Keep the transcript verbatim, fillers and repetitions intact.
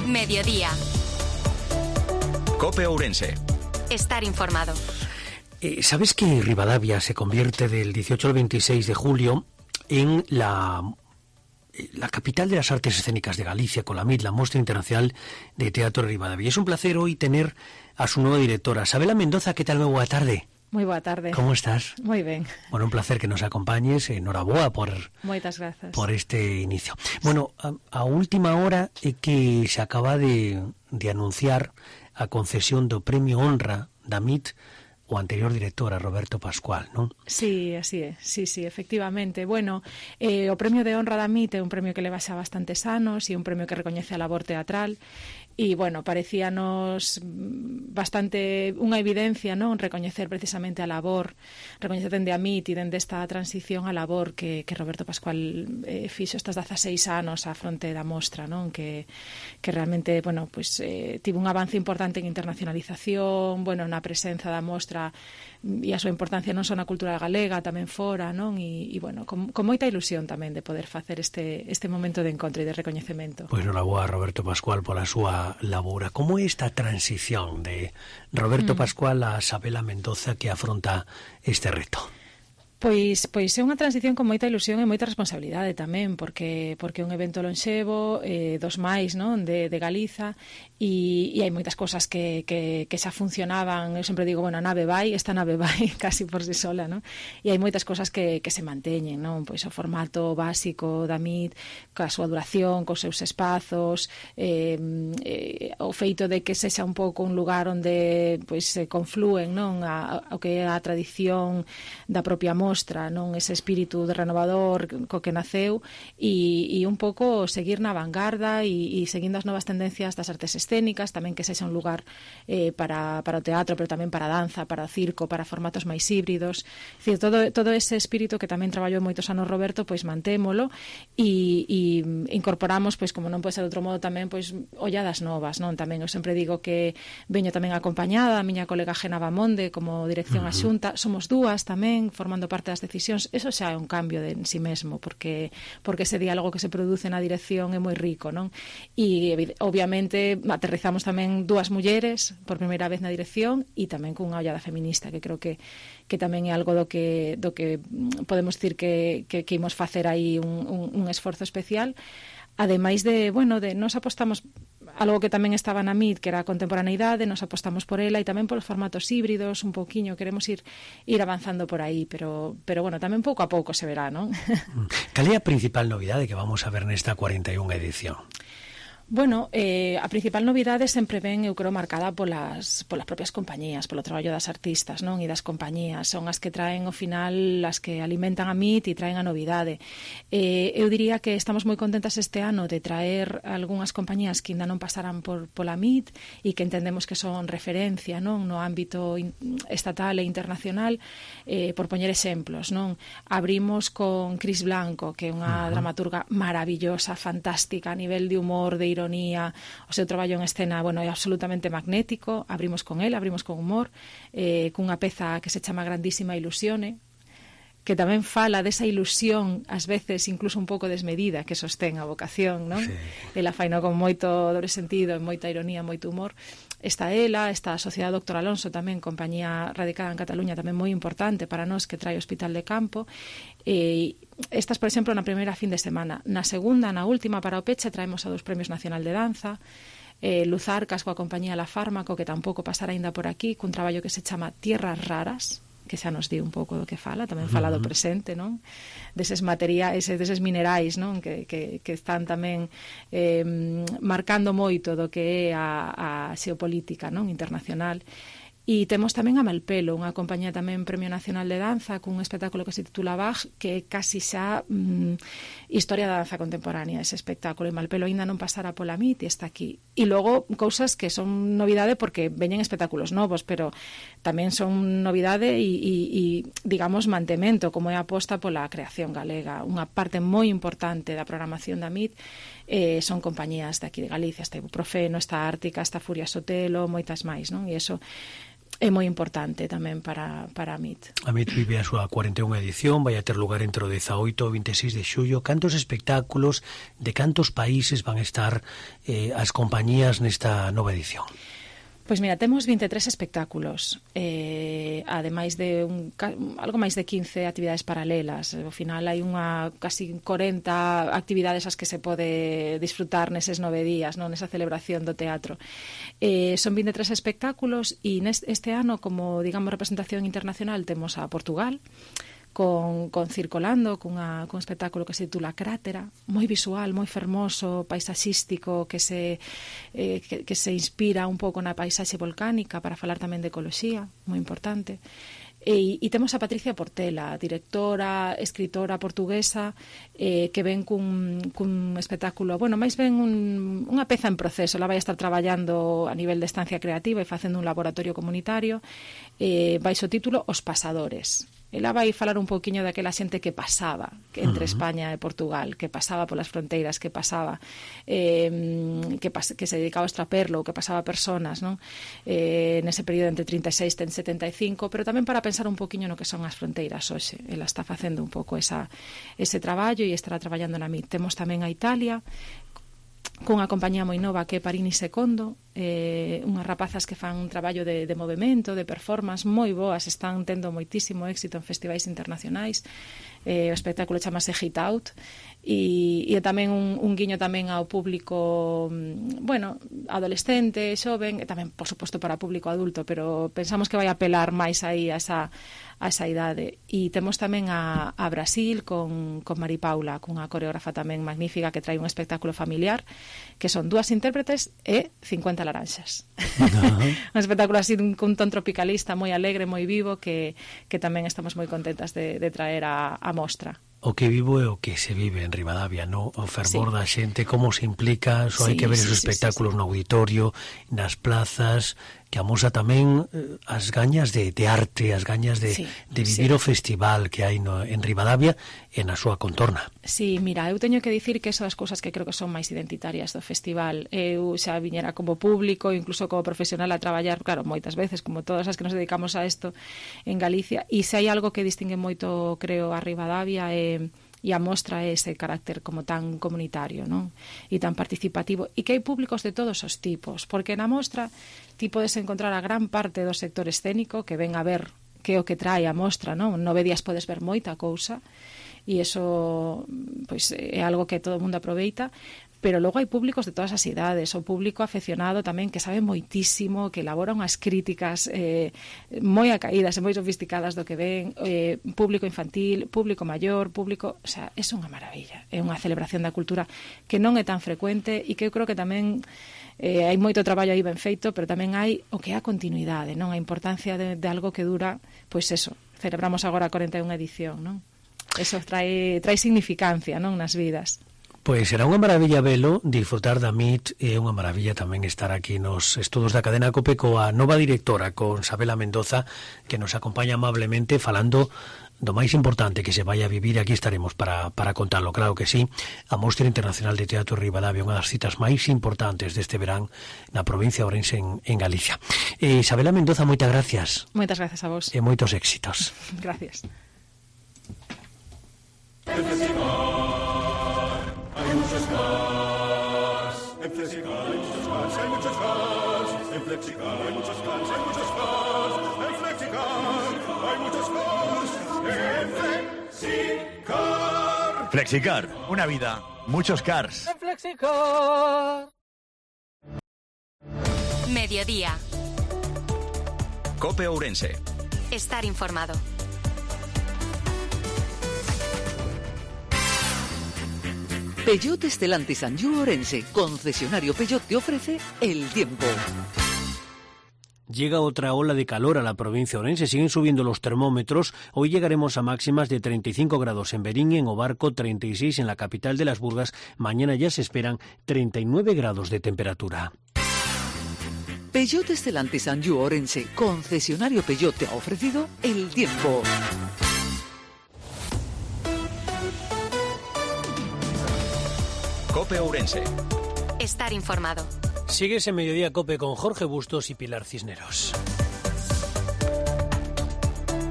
Mediodía. COPE Ourense. Estar informado. Eh, ¿Sabes que Ribadavia se convierte del dieciocho al veintiséis de julio en la, la capital de las artes escénicas de Galicia, con la M I T, la Mostra Internacional de Teatro de Ribadavia? Es un placer hoy tener a su nueva directora, Sabela Mendoza. ¿Qué tal? Muy boa tarde. Moi boa tarde. ¿Cómo estás? Moi ben. Bueno, un placer que nos acompañes. Enhoraboa por, Moitas grazas. por este inicio. Bueno, a, a última hora é que se acaba de, de anunciar a concesión do Premio Honra da M I T o anterior director, a Roberto Pascual, non? Sí, así é, sí, sí, efectivamente. Bueno, eh, o Premio de Honra da M I T é un premio que leva xa bastantes anos e un premio que recoñece a labor teatral. E, bueno, parecíanos bastante unha evidencia, non? Recoñecer precisamente a labor, recoñecer dende a M I T e dende esta transición a labor que, que Roberto Pascual eh, fixo estes dezaseis anos á fronte da mostra, non? Que, que realmente, bueno, pues, eh, tivo un avance importante en internacionalización, bueno, na presenza da mostra e a súa importancia non só na cultura galega, tamén fora, non? E, e bueno, con, con moita ilusión tamén de poder facer este, este momento de encontro e de recoñecemento. Pois enhoraboa a Roberto Pascual pola súa labora. Como é esta transición de Roberto mm. Pascual a Sabela Mendoza que afronta este reto? Pois, pois é unha transición con moita ilusión e moita responsabilidade tamén, porque porque é un evento lonxevo, eh, dos máis, non, de, de Galiza, e, e hai moitas cosas que, que, que xa funcionaban. Eu sempre digo, bueno, a nave vai, esta nave vai casi por si sola, non? E hai moitas cosas que, que se manteñen, non? Pois o formato básico da M I T, coa súa duración, cos seus espazos, eh, eh, o feito de que sexa un pouco un lugar onde pois se conflúen, non, a, a, o que é a tradición da propia mostra, mostra, non, ese espírito de renovador co que naceu, e, e un pouco seguir na vanguarda e, e seguindo as novas tendencias das artes escénicas, tamén que sexa un lugar eh, para, para o teatro, pero tamén para a danza, para o circo, para formatos máis híbridos. Decir, todo, todo ese espírito que tamén traballou moitos anos Roberto, pois mantémolo e, e incorporamos, pois como non pode ser de outro modo, tamén pois olladas novas, non? Tamén eu sempre digo que veño tamén acompañada a miña colega Gena Bamonde como dirección uh-huh. adxunta, somos dúas tamén formando parte das decisións. Eso xa é un cambio de en si mesmo, porque porque ese diálogo que se produce na dirección é moi rico, non? E obviamente aterrizamos tamén dúas mulleres por primeira vez na dirección e tamén cunha ollada feminista, que creo que que tamén é algo do que do que podemos dicir que que, que imos facer aí un, un, un esforzo especial. Ademais de, bueno, de nos apostamos algo que tamén estaba na M I T, que era a contemporaneidade, nos apostamos por ela e tamén por os formatos híbridos, un pouquiño, queremos ir ir avanzando por aí, pero pero bueno, tamén pouco a pouco se verá, non? Cal é a principal novidade que vamos a ver nesta cuarenta e unha edición? Bueno, eh, a principal novidade sempre ven, eu creo, marcada polas, polas propias compañías, polo traballo das artistas, non? E das compañías, son as que traen ao final, as que alimentan a M I T e traen a novidade. Eh, eu diría que estamos moi contentas este ano de traer algunhas compañías que ainda non pasaran por pola M I T e que entendemos que son referencia, non? No ámbito estatal e internacional, eh, por poñer exemplos, non? Abrimos con Cris Blanco, que é unha uh-huh. dramaturga maravillosa, fantástica, a nivel de humor, de ironía, o seu traballo en escena, bueno, é absolutamente magnético. Abrimos con él, abrimos con humor, eh, cunha peza que se chama Grandísima Ilusione, que tamén fala desa ilusión, ás veces incluso un pouco desmedida, que sostén a vocación, non? Sí. Ela faino con moito dobre sentido, moita ironía, moito humor. Está ela, está a Sociedade Doctor Alonso tamén, compañía radicada en Cataluña, tamén moi importante para nós, que trae Hospital de Campo. E estas, por exemplo, na primeira fin de semana. Na segunda, na última, para o peche, traemos a dos Premios Nacional de Danza, eh, Luz Arcas coa compañía La Fármaco, que tampouco pasará aínda por aquí, cun traballo que se chama Tierras Raras, que xa nos di un pouco do que fala, tamén fala do presente, non? Deses materiais, deses minerais, non? Que, que, que están tamén eh, marcando moito do que é a, a xeopolítica, non? Internacional. E temos tamén a Malpelo, unha compañía tamén Premio Nacional de Danza, cun espectáculo que se titula Bach, que é casi xa mm, historia da danza contemporánea, ese espectáculo. E Malpelo ainda non pasara pola M I T e está aquí. E logo, cousas que son novidade porque veñen espectáculos novos, pero tamén son novidade e, e, e digamos, mantemento, como é a aposta pola creación galega. Unha parte moi importante da programación da M I T eh, son compañías de aquí de Galicia, está Ibuprofeno, está Ártica, está Furia Sotelo, moitas máis, non? E iso é moi importante tamén para, para a M I T. A M I T vive a súa cuarenta e unha edición, vai a ter lugar entre o dezaoito e o vinte e seis de xullo. Cantos espectáculos, de cantos países van a estar eh, as compañías nesta nova edición? Pois mira, temos vinte e tres espectáculos, eh, ademais de un, algo máis de quince actividades paralelas. Ao final hai unha casi corenta actividades as que se pode disfrutar neses nove días, non, nesa celebración do teatro. Eh, son vinte e tres espectáculos e neste, este ano, como digamos representación internacional, temos a Portugal, con, con Circolando, cunha, cun espectáculo que se titula Crátera, moi visual, moi fermoso, paisaxístico, que se, eh, que, que se inspira un pouco na paisaxe volcánica para falar tamén de ecoloxía, moi importante. E, e temos a Patricia Portela, directora, escritora portuguesa, eh, que ven cun, cun espectáculo, bueno, máis ben un, unha peza en proceso. Ela vai estar traballando a nivel de estancia creativa e facendo un laboratorio comunitario, eh, baixo o título Os Pasadores. Ela vai falar un pouquiño daquela xente que pasaba entre uh-huh. España e Portugal, que pasaba polas fronteiras, que pasaba, eh, que, pas, que se dedicaba ao extraperlo, que pasaba personas, non? Eh, nese período entre trinta e seis e setenta e cinco, pero tamén para pensar un pouquiño no que son as fronteiras hoxe. Ela está facendo un pouco esa, ese traballo e estará traballando na M I T. Temos tamén a Italia, cunha compañía moi nova que é Parini Secondo, eh, unhas rapazas que fan un traballo de, de movimento, de performance moi boas, están tendo moitísimo éxito en festivais internacionais. Eh, o espectáculo chamase Hit Out e, e tamén un, un guiño tamén ao público, bueno, adolescente, xoven, e tamén, por suposto, para público adulto, pero pensamos que vai apelar máis aí a esa, a esa idade. E temos tamén a, a Brasil con, con Mari Paula, cunha coreógrafa tamén magnífica que trae un espectáculo familiar, que son dúas intérpretes e cincuenta laranxas. Uh-huh. Un espectáculo así cun ton tropicalista moi alegre, moi vivo, que, que tamén estamos moi contentas de, de traer a, a mostra. O que vivo é o que se vive en Ribadavia, no? O fervor sí. da xente, como se implica, só sí, hai que ver sí, esos sí, espectáculos sí, sí. no auditorio, nas plazas, que amosa tamén eh, as gañas de, de arte, as gañas de, sí, de vivir sí. o festival que hai no, en Ribadavia e na súa contorna. Sí, mira, eu teño que dicir que esas cousas que creo que son máis identitarias do festival. Eu xa viñera como público, incluso como profesional a traballar, claro, moitas veces, como todas as que nos dedicamos a isto en Galicia, e se hai algo que distingue moito, creo, a Ribadavia é... e a mostra é ese carácter como tan comunitario, non? E tan participativo, e que hai públicos de todos os tipos, porque na mostra ti podes encontrar a gran parte do sector escénico que ven a ver que é o que trae a mostra, non? Nove días podes ver moita cousa, e iso pois, é algo que todo o mundo aproveita, pero logo hai públicos de todas as idades, o público afeccionado tamén que sabe moitísimo, que elabora unhas críticas eh, moi acaídas e moi sofisticadas do que ven, eh, público infantil, público maior, público... O sea, é unha maravilla, é unha celebración da cultura que non é tan frecuente e que eu creo que tamén eh, hai moito traballo aí ben feito, pero tamén hai o que é a continuidade, non? A importancia de, de algo que dura, pois eso, celebramos agora a cuarenta e unha edición, non? Eso trae, trae significancia, non, nas vidas. Pois será unha maravilla velo, disfrutar da M I T, e unha maravilla tamén estar aquí nos estudos da cadena COPE coa nova directora, con Sabela Mendoza, que nos acompaña amablemente falando do máis importante que se vai a vivir. Aquí estaremos para, para contarlo, claro que sí. A Mostra Internacional de Teatro Ribadavia, unha das citas máis importantes deste verán na provincia de Ourense en, en Galicia. Eh, Sabela Mendoza, moitas gracias. Moitas gracias a vos. E moitos éxitos. Gracias. Hay muchos cars, en Flexicar hay muchos cars, hay muchos cars, en Flexicar hay muchos cars, hay muchos cars, en Flexicar hay muchos cars, en Flexicar. Flexicar, una vida, muchos cars. En Flexicar. Mediodía. COPE Ourense. Estar informado. Peugeot Stellantis Anjou Ourense, concesionario Peugeot, te ofrece el tiempo. Llega otra ola de calor a la provincia de Ourense, siguen subiendo los termómetros. Hoy llegaremos a máximas de treinta y cinco grados en Berín, en Obarco, treinta y seis en la capital de las Burgas. Mañana ya se esperan treinta y nueve grados de temperatura. Peugeot Stellantis Anjou Ourense, concesionario Peugeot, te ha ofrecido el tiempo. COPE Ourense. Estar informado. Sigues en Mediodía COPE con Jorge Bustos y Pilar Cisneros.